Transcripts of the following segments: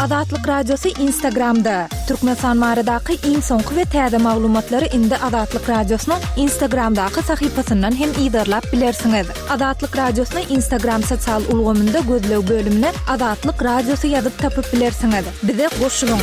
Azatlyk Radiosy Instagramda, Türkmenistan baradaky iň soňky we täze maglumatlary indi Azatlyk Radiosynyň Instagramdaky sahypasyndan hem yzarlap bilersiňiz. Azatlyk Radiosyny Instagram sosial ulgamynda gözleg bölümine Azatlyk Radiosy ýazyp tapyp bilersiňiz. Bize goşulyň!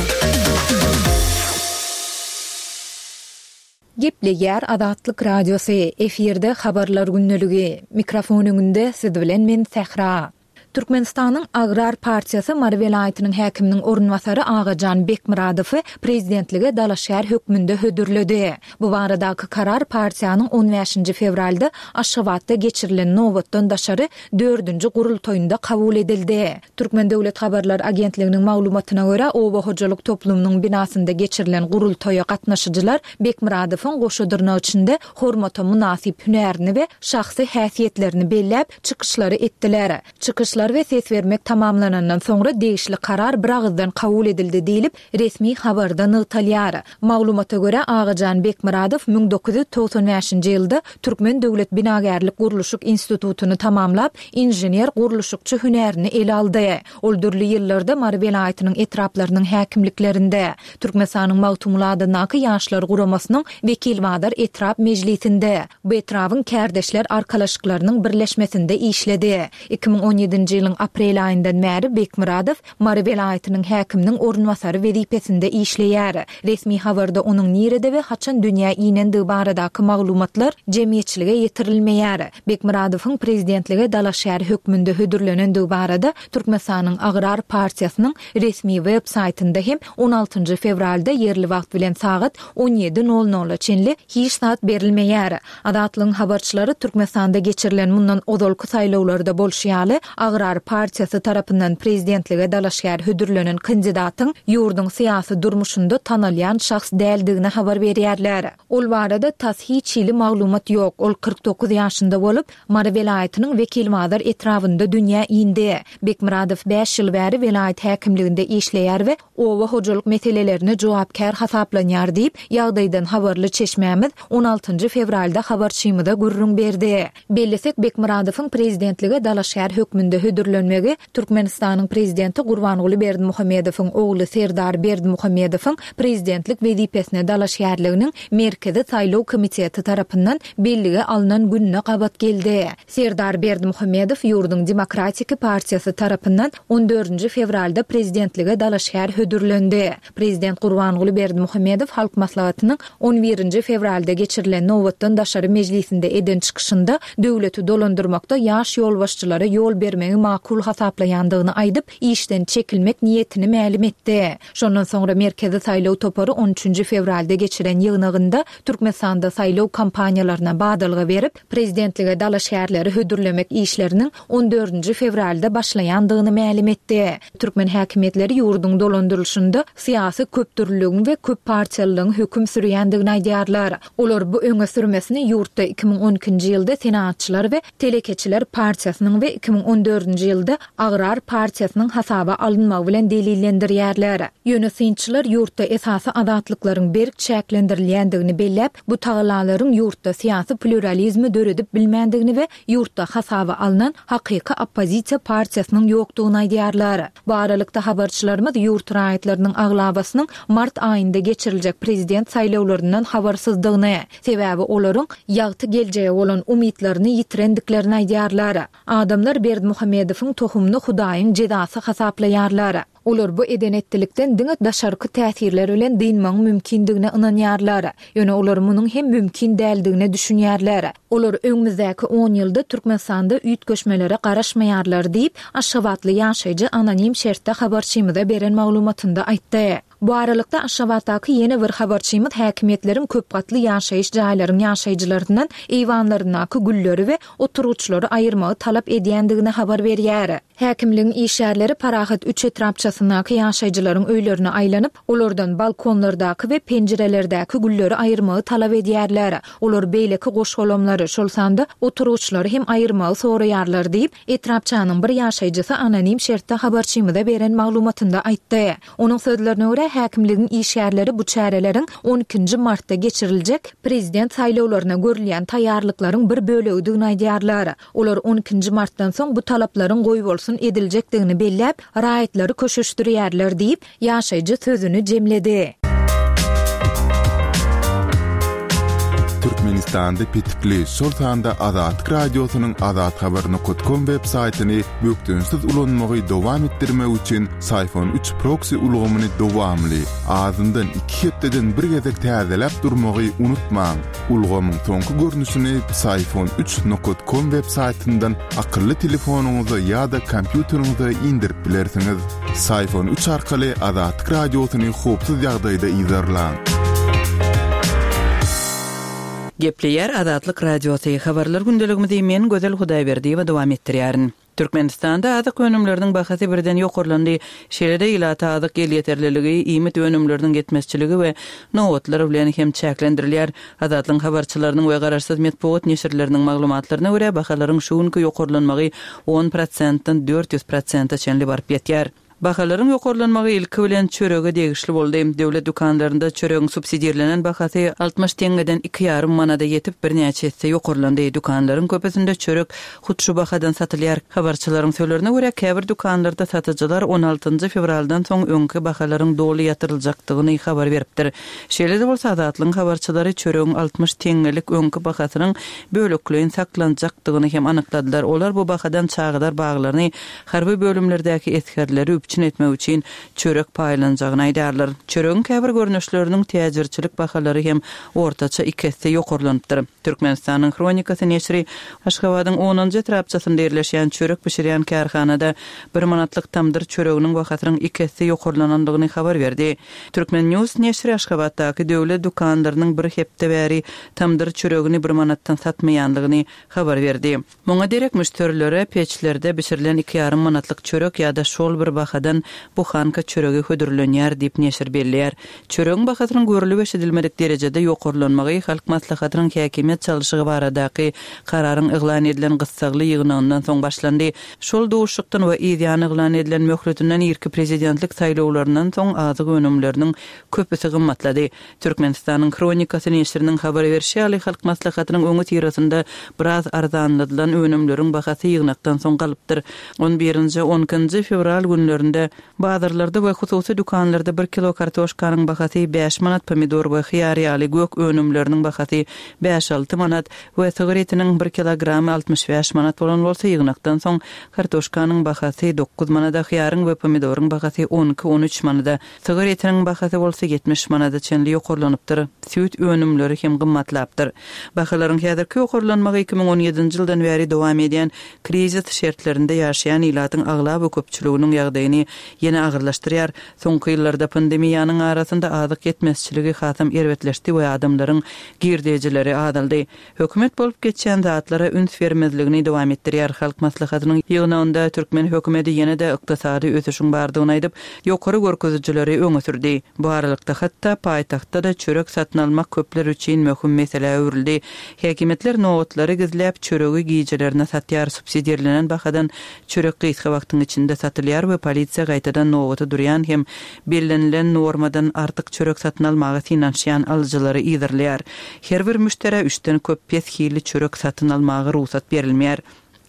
Gepleýär Azatlyk Radiosy, efirde Habarlar gündeligi. Mikrofon öňünde siz bilen men Sähra. Türkmenistanyň Agrar partiýasy Mary welaýatynyň häkiminiň orunbasary Agajan Bekmyradowy prezidentlige dalaşgär hökmünde hödürledi. Bu baradaky karar partiýanyň on bäşinji fewralda Aşgabatda geçirilen nobatdan daşary dördünji gurultaýynda kabul edildi. Türkmen döwlet habarlar agentliginiň maglumatyna görä, oba hojalyk toplumynyň binasynda geçirilen gurultaýa gatnaşyjylar Bekmyradowyň goşa dyrnak içinde hormata mynasyp hünärini we şahsy häsiýetlerini belläp, çykyşlary etdiler. Çykyşlar we ses bermek tamamlanandan soňra degişli karar biragyzdan kabul edildi diýlip, resmi habarda nygtalýar. Maglumata görä, Agajan Bekmyradow 1995-nji ýylda Türkmen döwlet binagärlik-gurluşyk institutyny tamamlap, inžener-gurluşykçy hünärini ele aldy. Ol dürli ýyllarda Mary welaýatynyň etraplarynyň häkimliklerinde, Türkmenistanyň Magtymguly adyndaky Ýaşlar guramasynyň Wekilbazar etrap mejlisinde, bu etrabyň kärdeşler arkalaşyklarynyň birleşmesinde işledi. 2017-nji ýylyň aprel aýyndan bäri Bekmyradow Mary welaýatynyň häkiminiň orunbasary wezipesinde işleýär. Resmi habarda onuň nirede we haçan dünýä inendigi baradaky maglumatlar jemgyýetçilige ýetirilmeýär. Bekmyradowyň prezidentlige dalaşgär hökmünde hödürlenendigi barada Türkmenistanyň Agrar partiýasynyň resmi web saýtynda hem on altynjy fewralda ýerli wagt bilen sagat on ýedi nol nola çenli hiç zat berilmeýär. Azatlygyň habarçylary Türkmenistanda geçirilen mundan ozalky saýlawlarda bolşy ýaly, Agrar partiýasy tarapyndan prezidentlige dalaşgär hödürlenen kandidatyň ýurduň syýasy durmuşynda tanalýan şahs däldigini habar berýärler. Ol barada tas hiç hili maglumat ýok, ol 49 ýaşynda bolup, Mary welaýatynyň Wekilbazar etrabynda dünýä indi. Bekmyradow bäş ýyl bäri welaýat häkimliginde işleýär we oba hojalyk meselelerine jogapkär hasaplanýar diýip, ýagdaýdan habarly çeşmämiz on altynjy fewralda habarçymyza gürrüň berdi. Bellesek, Bekmyradowyň prezidentlige dalaşgär hökmünde hödürlenmegi Türkmenistanyň prezidenti Gurbanguly Berdimuhamedowyň ogly Serdar Berdimuhamedowyň prezidentlik wezipesine dalaşgärliginiň Merkezi saýlaw komiteti tarapyndan bellige alnan gününe gabat geldi. Serdar Berdimuhamedow ýurduň Demokratiki partiýasy tarapyndan on dördünji fewralda prezidentlige dalaşgär hödürlendi. Prezident Gurbanguly Berdimuhamedow Halk Maslahatynyň on birinji fewralda geçirilen nobatdan daşary mejlisinde eden çykyşynda döwleti dolandyrmakda ýaş ýolbaşçylara ýol bermegi makul hasaplaýandygyny aýdyp, işden çekilmek niýetini mälim etdi. Şondan soňra Merkezi saýlaw topary on üçünji fewralda geçiren ýygnagynda Türkmenistanda saýlaw kampaniýalaryna badalga berip, prezidentlige dalaşgärleri hödürlemek işleriniň on dördünji fewralda başlaýandygyny mälim etdi. Türkmen häkimiýetleri ýurduň dolandyrylyşynda syýasy köpdürlüligiň we köppartiýalylygyň höküm sürýändigini aýdýarlar. Olar bu öňe sürmesini ýurtda 2012-nji ýylda Senagatçylar we telekeçiler partiýasynyň we 2014-nji ýylda Agrar partiýasynyň hasaba alynmagy bilen delillendirýärler. Ýöne synçylar ýurtda esasy azatlyklaryň berk çäklendirilýändigini belläp, bu tagallalaryň ýurtda syýasy plýuralizmi döredip bilmändigini we ýurtda hasaba alnan hakyky oppozisiýa partiýasynyň ýokdugyny aýdýarlar. Bu aralykda, habarçylarymyz ýurt raýatlarynyň aglabasynyň mart aýynda geçiriljek prezident saýlawlaryndan habarsyzdygyny, sebäbi olaryň ýagty geljege bolan umytlaryny ýitirendiklerini aýdýarlar. Adamlar Berdimuhamedowyň tohumyny Hudaýyň jezasy hasaplaýarlar. Olar bu eden-etdilikden diňe daşarky täsirler bilen dynmagyň mümkindigine ynanýarlar. Ýöne olar munuň hem mümkin däldigine düşünýärler. Olar öňümizdäki on ýylda Türkmenistanda üýtgeşmelere garaşmaýarlar diýip, aşgabatly ýaşaýjy anonim şertde habarçymyza beren maglumatynda aýtdy. Bu aralykda, Aşgabatdaky ýene bir habarçymyz häkimiýetleriň köp gatly ýaşaýyş jaýlaryň ýaşaýjylaryndan eýwanlaryndaky gülleri we oturgyçlary aýyrmagy talap edýändigini habar berýär. Häkimligiň işgärleri Parahat üç etrapçasyndaky ýaşaýjylaryň öýlerine aýlanyp, olardan balkonlardaky we penjirelerdäki gülleri aýyrmagy talap edýärler. Olar beýleki goş-golamlary, şol sanda oturgyçlary hem aýyrmagy soraýarlar diýip, etrapçanyň bir ýaşaýjysy anonim şertde habarçymyza beren maglumatynda aýtdy. Onuň sözlerine görä, görä, häkimligiň işgärleri bu çäreleriň on ikinji martda geçiriljek prezident saýlawlaryna görülýän taýýarlyklaryň bir bölegidigini aýdýarlar. Olar on ikinji martdan soň bu talaplaryň goýbolsun ediljekdigini belläp, raýatlary köşeşdirýärler diýip, ýaşaýjy sözüni jemledi. Türkmenistanda petikli, şol sanda Azatlyk Radiosynyň azathabar nokat kom web saýtyny bökdençsiz ulanmagy dowam etdirmek üçin Syfon üç proksi ulgamyny dowamly, azyndan iki hepdeden bir gezek täzeläp durmagy unutmaň. Ulgamyň soňky görnüşini Psiphon üç nokat kom web saýtyndan akylly telefonyňyza ýa-da kompýuteriňize indirip bilersiňiz. Psiphon üç arkaly Azatlyk Radiosyny howpsuz ýagdaýda yzarlaň. Gepleýär Azatlyk Radiosy, Habarlar gündeligimizi men Gözel Hudaýberdiýewa dowam etdirýärin. Türkmenistanda azyk önümleriniň bahasy birden ýokarlandy. Şeýle-de ilata azyk elýeterliligi, iýmit önümleriniň ýetmezçiligi we nobatlar bilen hem çäklendirilýär. Azatlygyň habarçylarynyň we garaşsyz metbugat neşirleriniň maglumatlaryna görä, bahalaryň şu günki ýokarlanmagy on prosentden 400 prosente çenli baryp ýetýär. Bahalaryň ýokarlanmagy ilki bilen çörege degişli boldy. Döwlet dükanlarynda çöregiň subsidirlenen bahasy 60 teňňeden iki ýarym manada ýetip, birnäçe esse ýokarlandy. Dükanlaryň köpüsinde çörek hut şu bahadan satylýar. Habarçylaryň sözlerine görä, käbir dükanlarda satyjylar on altynjy fewraldan soň öňki bahalaryň doly ýatyryljakdygyny habar beripdir. Şeýle-de bolsa, Azatlygyň habarçylary çöregiň 60 teňňelik öňki bahasynyň bölekleýin saklanjakdygyny hem anykladylar. Olar bu bahadan çagalar baglaryny harby bölümlerdäki esgerleri üpjün etmek üçin çörek paýlanjagyny aýdarlar. Çöregiň käbir görnüşleriniň täjirçilik bahalary hem ortaça iki esse ýokarlanypdyr. Türkmenistanyň Hronikasy neşiri Aşgabadyň onunjy etrapçasynda ýerleşýän çörek bişirýän kärhanada bir manatlyk tamdyr çöreginiň bahasynyň iki esse ýokarlanandygyny habar berdi. Turkmen. News neşiri Aşgabatdaky döwlet dükanlarynyň bir hepde bäri tamdyr çöregini bir manatdan satmaýandygyny habar berdi. Muňa derek müşderilere peçlerde bişirilen iki ýarym manatlyk çörek ýa-da şol bir bahadan buhanka çöregi hödürlenýär diýip, neşir belleýär. Çöregiň bahasynyň görlüp-eşidilmedik derejede ýokarlanmagy Halk Maslahatynyň häkimiýet çalşygy baradaky kararyň yglan edilen gyssagly ýygnagyndan soň başlandy. Şol duşuşykdan we yzýany yglan edilen möhletinden irki prezidentlik saýlawlaryndan soň azyk önümleriniň köpüsi gymmatlady. Türkmenistanyň Hronikasy neşiriniň habar berşi ýaly, Halk Maslahatynyň öňüsyrasynda biraz arzanladylan önümleriň bahasy ýygnakdan soň galypdyr. On birinji, on ikinji fewral günlerinde bazarlarda we hususy dükanlarda bir kilo kartoşkanyň bahasy bäş manat, pomidor we hyýar ýaly gök önümleriniň bahasy bäş-alty manat we sygyr etiniň bir kilogramy 65 manat bolan bolsa, ýygnakdan soň kartoşkanyň bahasy dokuz manada, hyýaryň we pomidoryň bahasy on iki, on üç manada Sygyr etiniň bahasy bolsa 70 manada çenli ýokarlanypdyr. Süýt önümleri hem gymmatlapdyr. Bahalaryň häzirki ýokarlanmagy 2017-nji ýyldan bäri dowam edýän krizis şertlerinde ýaşaýan ilatyň aglaba köpçüliginiň ýagdaýyny ýene agyrlaşdyrýar. Soňky ýyllarda pandemiýanyň arasynda azyk ýetmezçiligi hasam erbetleşdi we adamlaryň girdejileri azaldy. Hökümet bolup geçýän zatlara üns bermezligini dowam etdirýär. Halk Maslahatynyň ýygnagynda türkmen hökümeti ýene-de ykdysady ösüşiň bardygyny aýdyp, ýokary görkezijileri öňe sürdi. Bu aralykda, hatda paýtagtda-da çörek satyn almak köpler üçin möhüm meselä öwrüldi. Häkimiýetler nobatlary gizläp, çöregi gijelerine satýar, subsidirlenen bahadan çörek gysga wagtyň içinde satylýar we polisiýa gaýtadan nobata durýan hem bellenilen normadan artyk çörek satyn almaga synanyşýan alyjylary yzarlaýar. Her bir müşderä üçden köp pes hilli çörek satyn almaga rugsat berilmeýär.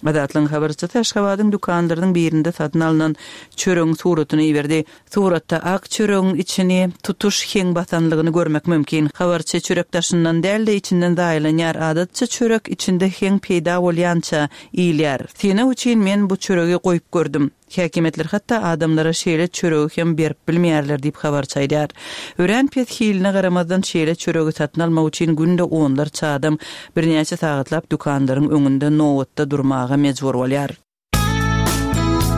Azatlygyň habarçysy Aşgabadyň dükanlarynyň birinde satyn alnan çöregiň suratyny iberdi. Suratda ak çöregiň içini tutuş heň basanlygyny görmek mümkin. Habarçy çörek daşyndan däl-de içinden zaýalanýar, adatça çörek içinde heň peýda bolýança iýilýär. Synag üçin men bu çöregi goýup gördüm. Häkimiýetler hatda adamlara şeýle çöregi hem berip bilmeýärler diýip, habarçy aýdýar. Örän pes hiline garamazdan, şeýle çöregi satyn almak üçin günde onlarça adam birnäçe sagatlap dükanlaryň öňünde nobatda durmaga mejbur bolýar.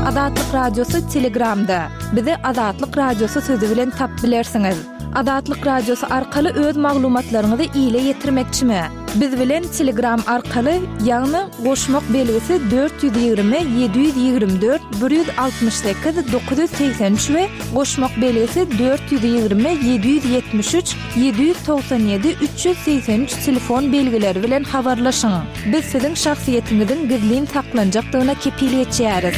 Azatlyk Radiosy Telegramda. Bizi Azatlyk Radiosy sözi bilen tapyp bilersiňiz. Azatlyk Radiosy arkaly öz maglumatlaryňyzy ile ýetirmekçimi? Biz bilen Telegram arkaly, ýagny goşmak belgisi 420 724 168 983 we goşmak belgisi 420 773 797 383 telefon belgileri bilen habarlaşyň. Biz siziň şahsyýetiňiziň gizlin saklanjakdygyna kepil geçýäris.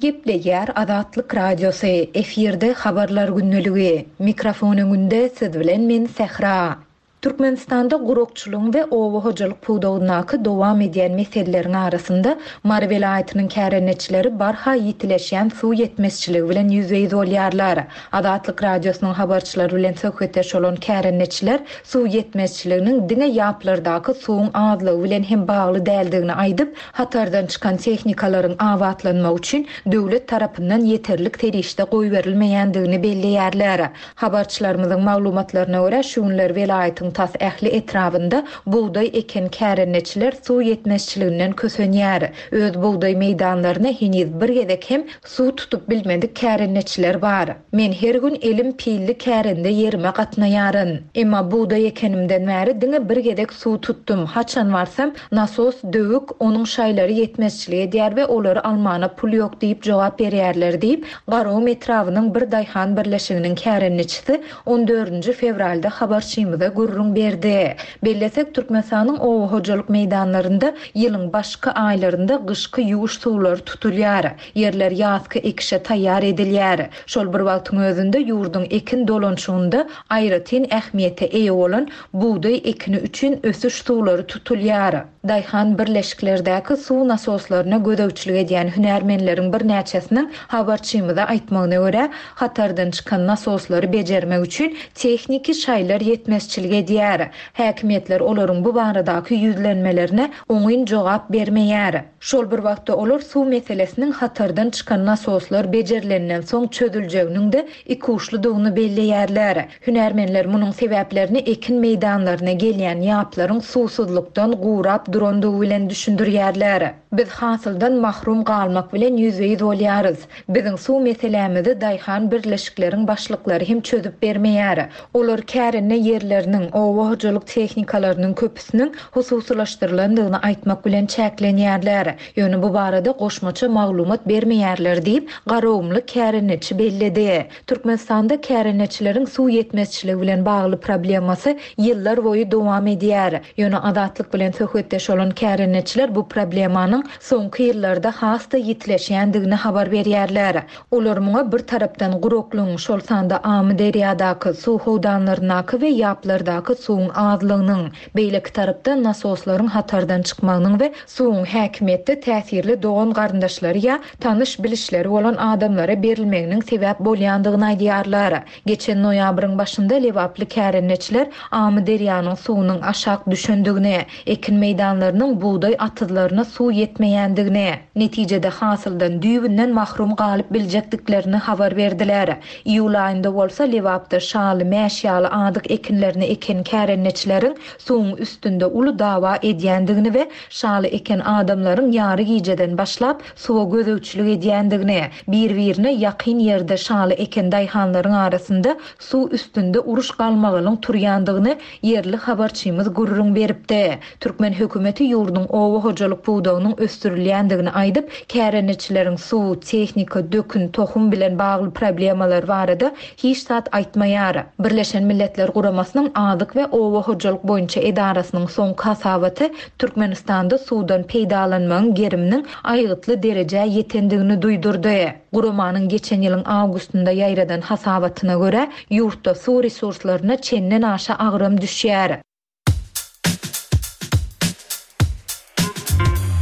Gepleýär Azatlyk Radiosy, efirde Habarlar gündeligi. Mikrofon öňünde siz bilen men Sähra. Türkmenistanda gurakçylygyň we oba hojalyk pudagyndaky dowam edýän meseleleriň arasynda Mary welaýatynyň kärendeçileri barha ýitileşýän suw ýetmezçiligi bilen ýüzbe-ýüz bolýarlar. Azatlyk Radiosynyň habarçylary bilen söhbetdeş bolan kärendeçiler suw ýetmezçiliginiň diňe ýaplardaky suwuň azlygy bilen hem bagly däldigini aýdyp, hatardan çykan tehnikalaryň abatlanmagy üçin döwlet tarapyndan ýeterlik serişde goýberilmeýändigini belleýärler. Habarçylarymyzyň maglumatlaryna görä, şu günler welaýatyň tas ähli etrabynda bugdaý eken kärendeçiler suw ýetmezçiliginden kösenýär. Öz bugdaý meýdanlaryna heniz bir gezek hem Suw tutup bilmedik kärendeçiler bar. Men her gün elim pilli kärende ýerime gatnaýaryn. Emma bugdaý ekenimden bäri diňe bir gezek suw tutdum. Haçan barsam, nasos döwük, onuň şaýlary ýetmezçilik edýär we olary almana pul ýok diýip jogap berýärler diýip, Garagum etrabynyň bir daýhan birleşiginiň kärendeçisi on dördünji fewralda habarçymyza gürrüň berdi. Bellesek, Türkmenistanyň oba hojalyk meýdanlarynda ýylyň başky aýlarynda gyşky ýuwuş suwlary tutulýar. Ýerler ýazky ekişe taýýar edilýär. Şol bir wagtyň özünde ýurduň ekin dolanyşygynda aýratyn ähmiýete eýe bolan bugdaý ekini üçin ösüş suwlary tutulýar. Daýhan birleşiklerdäki suw nasoslaryna gözegçilik edýän hünärmenleriň birnäçesiniň habarçymyza aýtmagyna görä, hatardan çykan nasoslary bejermek üçin tehniki şaýlar ýetmezçilik edýär. Häkimiýetler olaryň bu baradaky ýüzlenmelerine oňyn jogap bermeýär. Şol bir wagtda olar suw meselesiniň hatardan çykan nasoslar bejerilenden soň çözüljeginiň-de ikuçludygyny belleýärler. Hünärmenler munuň sebäplerini ekin meýdanlaryna gelýän ýaplaryň suwsuzlykdan gurap durandygy bilen düşündirýärler. Biz hasyldan mahrum galmak bilen ýüzbe-ýüz bolýarys. Biziň suw meselämizi daýhan birleşikleriň başlyklary hem çözüp bermeýär. Olar kärende ýerleriniň, oba hojalyk tehnikalarynyň köpüsiniň hususylaşdyrylandygyny aýtmak bilen çäklenýärler. Ýöne bu barada goşmaça maglumat bermeýärler diýip, garagumly kärendeçi belledi. Türkmenistanda kärendeçileriň suw ýetmezçiligi bilen bagly problemasy ýyllar boýy dowam edýär. Ýöne Azatlyk bilen söhbetdeş bolan kärendeçiler bu problemanyň soňky ýyllarda has-da ýitileşýändigini habar berýärler. Olar muňa bir tarapdan guraklygyň, şol sanda Amyderýadaky, suw howdanlaryndaky we ýaplardaky suwuň azlygynyň, beýleki tarapdan nasoslaryň hatardan çykmagynyň we suwuň häkimiýetde täsirli dogan-garyndaşlary ýa tanyş-bilişleri bolan adamlara berilmeginiň sebäp bolýandygyny aýdýarlar. Geçen noýabryň başynda lebaply kärendeçiler Amyderýanyň suwunyň aşak düşendigini, ekin meýdanlarynyň bugdaý atyzlaryna suw ýetmeýändigini, netijede hasyldan düýbünden mahrum galyp biljekdiklerini habar berdiler. Iýul aýynda bolsa Lebapda şaly, mäş ýaly azyk ekinlerini eken kärendeçileriň suwuň üstünde uly dawa edýändigini we şaly eken adamlaryň ýary gijeden başlap suwa gözegçilik edýändigini, bir-birine ýakyn ýerde şaly eken daýhanlaryň arasynda suw üstünde uruş-galmagalyň turýandygyny ýerli habarçymyz gürrüň beripdi. Türkmen hökümeti ýurduň oba hojalyk pudagynyň ösdürilýändigini aýdyp, kärendeçileriň suw, tehnika, dökün, tohum bilen bagly problemalary barada hiç zat aýtmaýar. Birleşen Milletler Guramasynyň Azyk we oba hojalyk boýunça edarasynyň soňky hasabaty Türkmenistanda suwdan peýdalanmagyň geriminiň aýgytly derejä ýetendigini duýdurdy. Guramanyň geçen ýylyň awgustynda ýaýradan hasabatyna görä, ýurtda suw resurslaryna çenden aşa agram düşýär.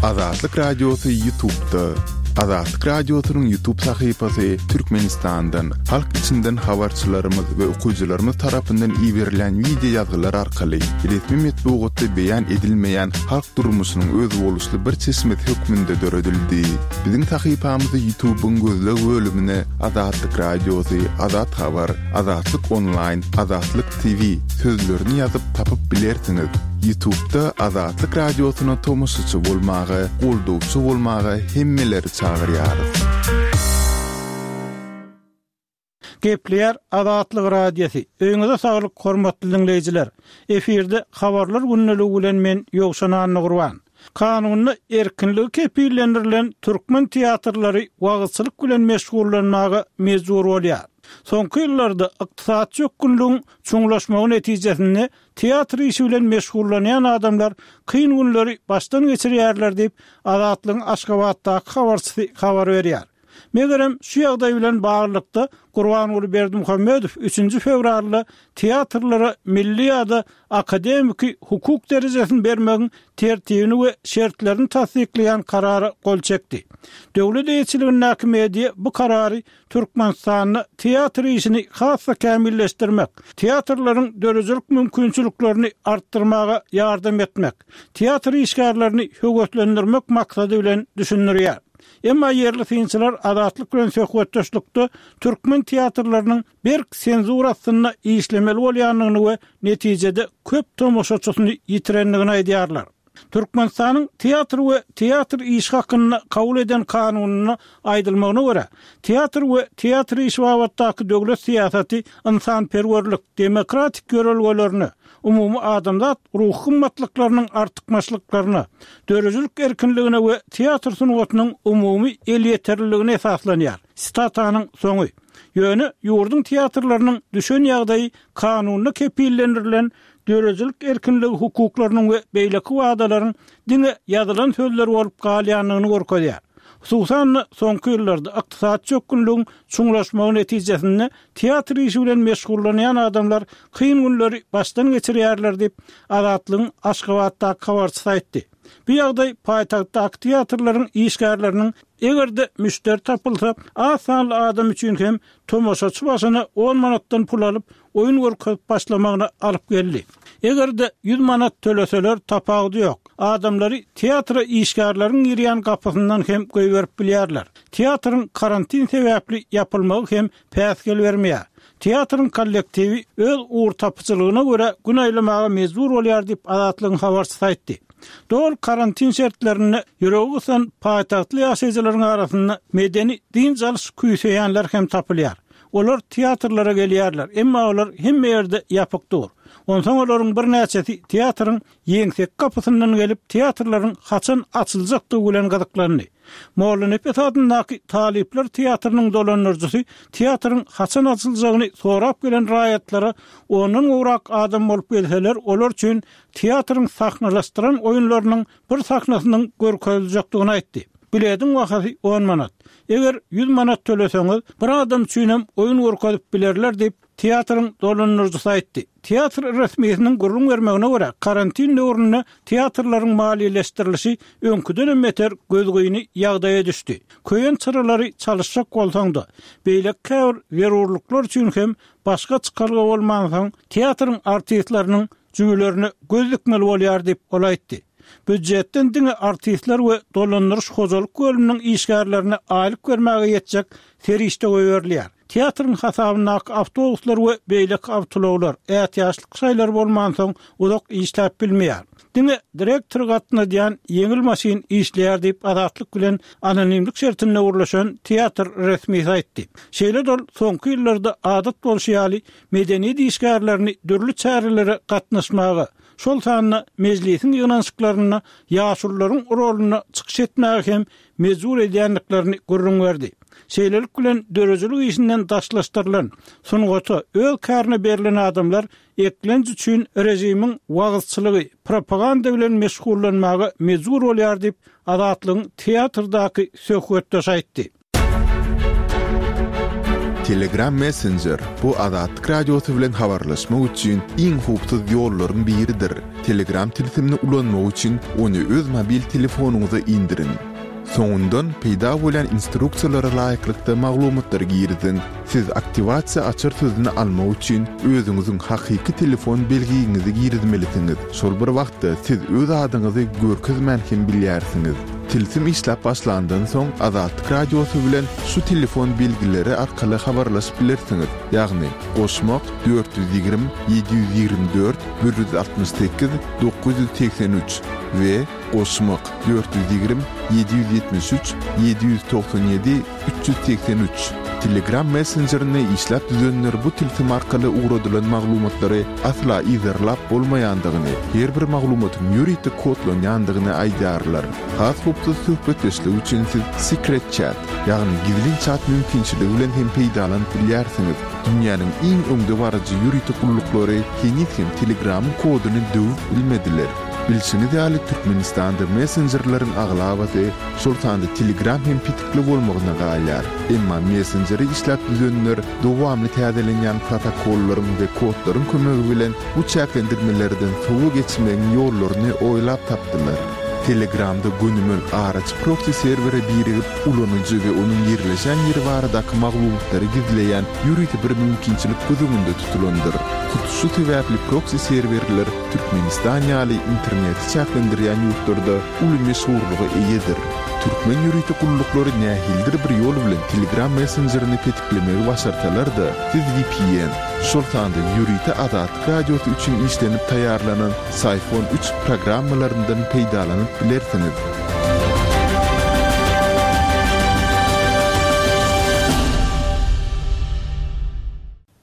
Azatlyk Radiosy Ýutubda. Azatlyk Radiosynyň Ýutub sahypasy Türkmenistandan, halk içinden habarçylarymyz we okyjylarymyz tarapyndan iberilen wideo ýazgylar arkaly resmi metbugatda beýan edilmeýän halk durmuşynyň özboluşly bir çeşmesi hökmünde döredildi. Biziň sahypamyzy Ýutubyň gözleg bölümine Azatlyk Radiosy, Azat Habar, Azatlyk Onlaýn, Azatlyk TV sözlerini ýazyp tapyp bilersiňiz. Ýutubda Azatlyk Radiosyna tomaşaçy bolmaga, goldawçy bolmaga hemmeleri çagyrýarys. Gepleýär Azatlyk Radiosy. Öýüňize saglyk hormatly diňleýjiler. Efirde habarlar gündeligi bilen men Ýowşan Annagurban. Kanunda erkinligi kepillendirilen türkmen teatrlary wagyzçylyk bilen meşgullanmaga mejbur bolýar. Soňky ýyllarda ykdysady çökgünligiň çuňlaşmagy netijesinde teatr işi bilen meşgullanýan adamlar kyn günleri başdan geçirýärler diýip, Azatlygyň Aşgabatdaky habarçysy habar berýär. Megerem, şu ýagdaý bilen baglylykda, Gurbanguly Berdimuhamedow üçünji fewralda teatrlara milli ýa-da akademiki hukuk derejesini bermegiň tertibini we şertlerini tassyklaýan karara gol çekdi. Döwlet eýeçiligindäki media bu karary Türkmenistanda teatr işini has-da kämilleşdirmek, teatrlaryň döredijilik mümkinçiliklerini artdyrmaga ýardam etmek, teatr işgärlerini höweslendirmek maksady bilen düşündirýär. Emma ýerli synçylar Azatlyk bilen söhbetdeşlikde türkmen teatrlarynyň berk senzura astynda işlemeli bolýandygyny we netijede köp tomaşaçysyny ýitirendigini aýdýarlar. Türkmenistanyň Teatr we teatr işi hakynda kabul eden kanunynda aýdylmagyna görä, teatr we teatr işi babatdaky döwlet syýasaty ynsanperwerlik, demokratik ýörelgelerine, umumy adamzat ruhy gymmatlyklarynyň artykmaçlyklaryna, döredijilik erkinligine we teatr sungatynyň umumy elýeterliligine esaslanýar. Sitatanyň soňy. Ýöne ýurduň teatrlarynyň düşen ýagdaýy kanunda kepillendirilen döredijilik erkinligi hukuklarynyň we beýleki wadalaryň diňe ýazylan sözler bolup galýandygyny görkezýär. Hususan-da, soňky ýyllarda ykdysady çökgünligiň çuňlaşmagy netijesinde teatr işi bilen meşgullanýan adamlar kyn günleri başdan geçirýärler diýip, Azatlygyň Aşgabatdaky habarçysy aýtdy. Bu ýagdaý paýtagtdaky teatrlaryň işgärleriniň eger-de müşderi tapylsa, az sanly adam üçin hem tomaşaçy başyna on manatdan pul alyp, oýun görkezip başlamagyna alyp geldi. Eger-de ýüz manat töleseler tapawudy ýok. Adamlary teatra işgärleriň girýän gapysyndan hem goýberip bilýärler. Teatryň karantin sebäpli ýapylmagy hem päsgel bermeýär. Teatryň kollektiwi öz ugurtapyjylygyna görä gün aýlamaga mejbur bolýar diýip, Azatlygyň habarçysy aýtdy. Doly karantin şertlerinde ýüregi gysan paýtagtly ýaşaýjylaryň arasynda medeni dynç alyş küýseýänler hem tapylýar. Olar teatrlara gelýärler, emma olar hemme ýerde ýapyk dur. Onsoň olaryň birnäçesi teatryň ýeňseki gapysyndan gelip, teatrlaryň haçan açyljakdygy bilen gyzyklandy. Mollanepes adyndaky talyplar teatrynyň dolandyryjysy teatryň haçan açyljagyny sorap gelen raýatlara ondan gowrak adam bolup gelseler, olar üçin teatryň sahnalaşdyran oýunlarynyň bir sahnasynyň görkeziljekdigini aýtdy. Bilediň bahasy on manat. Eger ýüz manat töleseňiz, bir adam üçinem oýun görkezip bilerler diýip, teatryň dolandyryjysy aýtdy. Teatr resmisiniň gürrüň bermegine görä, karantin döwründe teatrlaryň maliýeleşdirilişi öňküdenem beter gözgyny ýagdaýa düşdi. Köýen çyralary çalyşjak bolsaň-da, beýleki käbir zerurlyklar üçin hem başga çykalga bolmansoň, teatryň artistleriniň jübülerine göz dikmeli bolýar diýip, ol aýtdy. Býujetden diňe artistler we dolandyryş-hojalyk bölüminiň işgärlerine aýlyk bermäge ýetjek serişde goýberilýär. Teatryň hasabyndaky awtobuslar we beýleki awtoulaglar, ätiýaçlyk şaýlary bolmansoň, uzak işläp bilmeýär. Diňe direktory gatnadýan ýeňil maşyn işleýär diýip, Azatlyk bilen anonimlik şertinde gürleşen teatr resmisi aýtdy. Şeýle-de ol soňky ýyllarda adat bolşy ýaly, medeniýet işgärlerini dürli çärelere gatnaşmaga, şol sanda Mejlisiň ýygnanyşyklarynda ýaşulularyň rolunda çykyş etmäge hem mejbur edýändiklerini gürrüň berdi. Şeýlelik bilen, döredijilik işinden daşlaşdyrylan, sungata, öz kärine berlen adamlar eklenç üçin režimiň wagyzçylygy, propaganda bilen meşgullanmaga mejbur bolýar diýip, Azatlygyň teatrdaky söhbetdeşi aýtdy. Telegram Messenger, bu Azatlyk Radiosy bilen habarlaşmak üçin iň howpsuz ýollaryň biridir. Telegram tilsimini ulanmak üçin ony öz mobil telefonyňyza indiriň. Soňundan peýda bolýan instruksiýalara laýyklykda maglumatlary giriziň. Siz aktiwasiýa açar sözüni almak üçin özüňiziň hakyky telefon belgiňizi girizmelisiňiz. Şol bir wagtda siz öz adyňyzy görkezmän hem bilýärsiňiz. Tilsim işläp başlandan soň Azatlyk Radiosy bilen şu telefon belgileri arkaly habarlaşyp bilersiňiz, ýagny, goşmak, 420 724 168 983 we goşmak, 420 773 797 383. Telegram messenjerini işläp düzenler bu tilsim arkaly ugradylan maglumatlary asla yzarlap bolmaýandygyny, her bir maglumatyň ýörite kodlanýandygyny aýdýarlar. Has howpsuz söhbetdeşlik üçin siz Secret Chat, ýagny gizlin çat mümkinçiligi bilen hem peýdalanyp bilýärsiňiz. Dünýäniň iň öňdebaryjy ýörite gulluklary heniz hem Telegramyň koduny döwüp bilmediler. Bilşiňiz ýaly, Türkmenistanda messenjerleriň aglabasy, şol sanda Telegram hem petikli bolmagyna galýar. Emma messenjeri işläp düzenler dowamly täzelenýän protokollaryň we kodlaryň kömegi bilen bu çäklendirmelerden sowa geçmegiň ýollaryny oýlap tapdylar. Telegramda gönümel araçy proksi serwere birigip, ulanyjy we onuň ýerleşen ýeri baradaky maglumatlary gizleýän ýörite bir mümkinçilik göz öňünde tutulandyr. Hut şu sebäpli proksi serwerler Türkmenistan ýaly interneti çäklendirýän ýurtlarda uly meşhurlyga eýedir. Türkmen ýörite gulluklary nähilidir bir ýol bilen Telegram messenjerini petiklemegi başarsalar-da, siz vpn, şol sanda ýörite Azatlyk Radiosy üçin işlenip taýýarlanan Syphon üç programmalaryndan peýdalanyp bilersiňiz.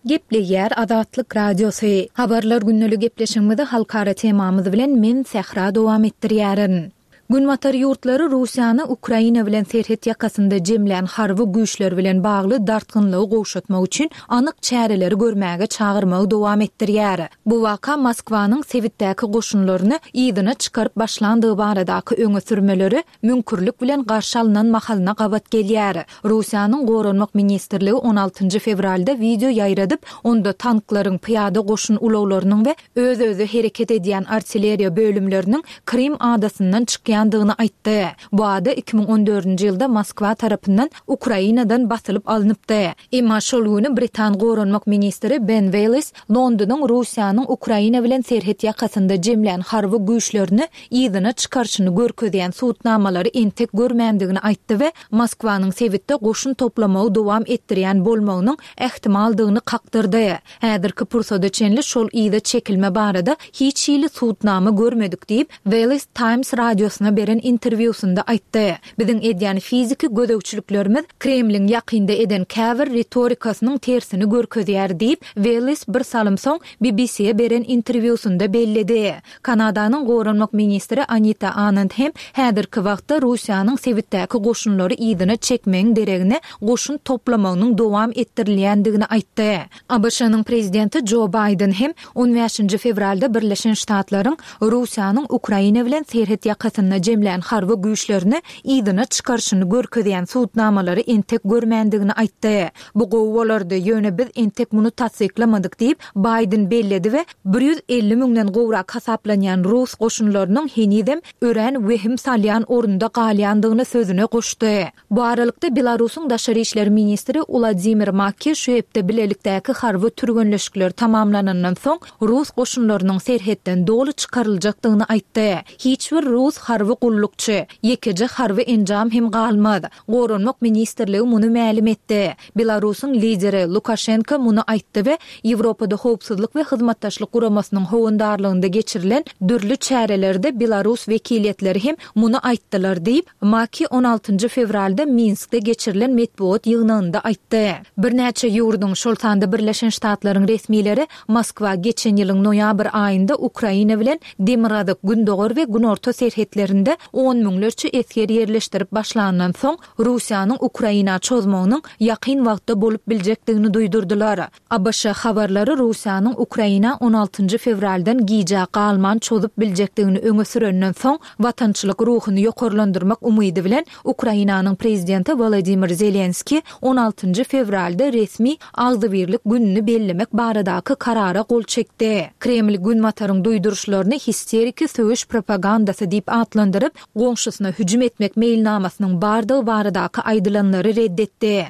Gepleýär Azatlyk Radiosy. Habarlar gündeli gepleşigimizi halkara temamyz bilen men Sähra dowam etdirýärin. Günbatar ýurtlary Russiýany Ukraina bilen serhet ýakasynda jemlän harby güýçleri bilen bagly dartgynlygy gowşatmak üçin anyk çäreleri görmäge çagyrmagy dowam etdirýär. Bu waka Moskwanyň sebitdäki goşunlaryny yzyna çykaryp başlandygy baradaky öňe sürmeleri müňkürlik bilen garşy alnan mahalyna gabat gelýär. Russiýanyň Goranmak ministrligi on altynjy fewralda wideo ýaýradyp, onda tanklaryň, pyýada goşun ulaglarynyň we öz-özi hereket edýän artilleriýa bölümleriniň Krym adasyndan çykýandygyny aýtdy. Bu ada 2014-nji ýylda Moskwa tarapyndan Ukrainadan basylyp alnypdy. Emma şol güni britan goranmak ministri Ben Wellis Londonyň Russiýanyň Ukraina bilen serhet ýakasynda jemlän harby güýçlerini yzyna çykaryşyny görkezýän subutnamalary entek görmändigini aýtdy we Moskwanyň sebitde goşun toplamagy dowam etdirýän bolmagynyň ähtimaldygyny kakdyrdy. Häzirki pursada çenli şol yza çekilme barada hiç hili subutnama görmedik diýip, Wellis Times radiosyna beren interwýusynda aýtdy. Biziň edýän fiziki gözegçiliklerimiz Kremliň ýakynda eden käbir ritorikasynyň tersini görkezýär diýip, Wellis bir salym soň BBC-e beren interwýusynda belledi. Kanadanyň goranmak ministri Anita Anand hem häzirki wagtda Russiýanyň sebitdäki goşunlary yzyna çekmegiň deregine goşun toplamagynyň dowam etdirilýändigini aýtdy. ABŞ-nyň prezidenti Jo Baýden hem on bäşinji fewralda Birleşen Ştatlaryň Russiýanyň Ukraina bilen serhet ýakasynda jemlän harby güýçlerini yzyna çykaryşyny görkezýän subutnamalary entek görmändigini aýtdy. Bu gowy bolardy, ýöne biz entek muny tassyklamadyk diýip, Baýden belledi we 150 müňden gowrak hasaplanýan rus goşunlarynyň henizem örän wehim salýan orunda galýandygyny sözüne goşdy. Bu aralykda, Belarusyň daşary işler ministri Uladimir Makki şu hepde bilelikdäki harby türgenleşikler tamamlanandan soň, rus goşunlarynyň serhetden doly çykaryljakdygyny aýtdy. Hiç bir rus harby gullukçy, ýekeje harby enjam hem galmaz. Goranmak ministrligi muny mälim etdi. Belarusyň lideri Lukaşenko muny aýtdy we Ýewropada Howpsuzlyk we Hyzmatdaşlyk Guramasynyň howandarlygynda geçirilen dürli çärelerde belarus wekiliýetleri hem muny aýtdylar diýip, Maki on altynjy fewralda Minskde geçirilen metbugat ýygnagynda aýtdy. Birnäçe ýurduň, şol sanda Birleşen Ştatlaryň resmileri Moskwa geçen ýylyň noýabr aýynda Ukraina bilen demirgazyk, gündogar we günorta serhetlerinde on müňlerçe esger ýerleşdirip başlandan soň, Russiýanyň Ukraina çozmagynyň ýakyn wagtda bolup biljekdigini duýdurdylar. ABŞ habarlary Russiýanyň Ukraina on altynjy fewraldan gijä galman çozup biljekdigini öňe sürenden soň, watançylyk ruhuny ýokarlandyrmak umydy bilen Ukrainanyň prezidenti Wolodymyr Zelenskiý on altynjy fewralda resmi Agzybirlik gününi bellemek baradaky karara gol çekdi. Kreml Günbataryň duýduryşlaryny histeriki söweş propagandasy diýip atlandyryp, goňşusyna hüjüm etmek meýilnamasynyň bardygy baradaky aýdylanlary red etdi.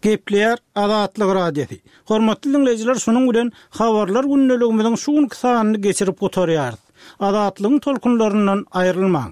Gepleýär Azatlyk Radiosy. Hormatly diňleýjiler şunuň bilen Habarlar gündeligimiziň şu günki sanyny geçirip gutarýarys. Azatlygyň tolkunlaryndan aýrylmaň!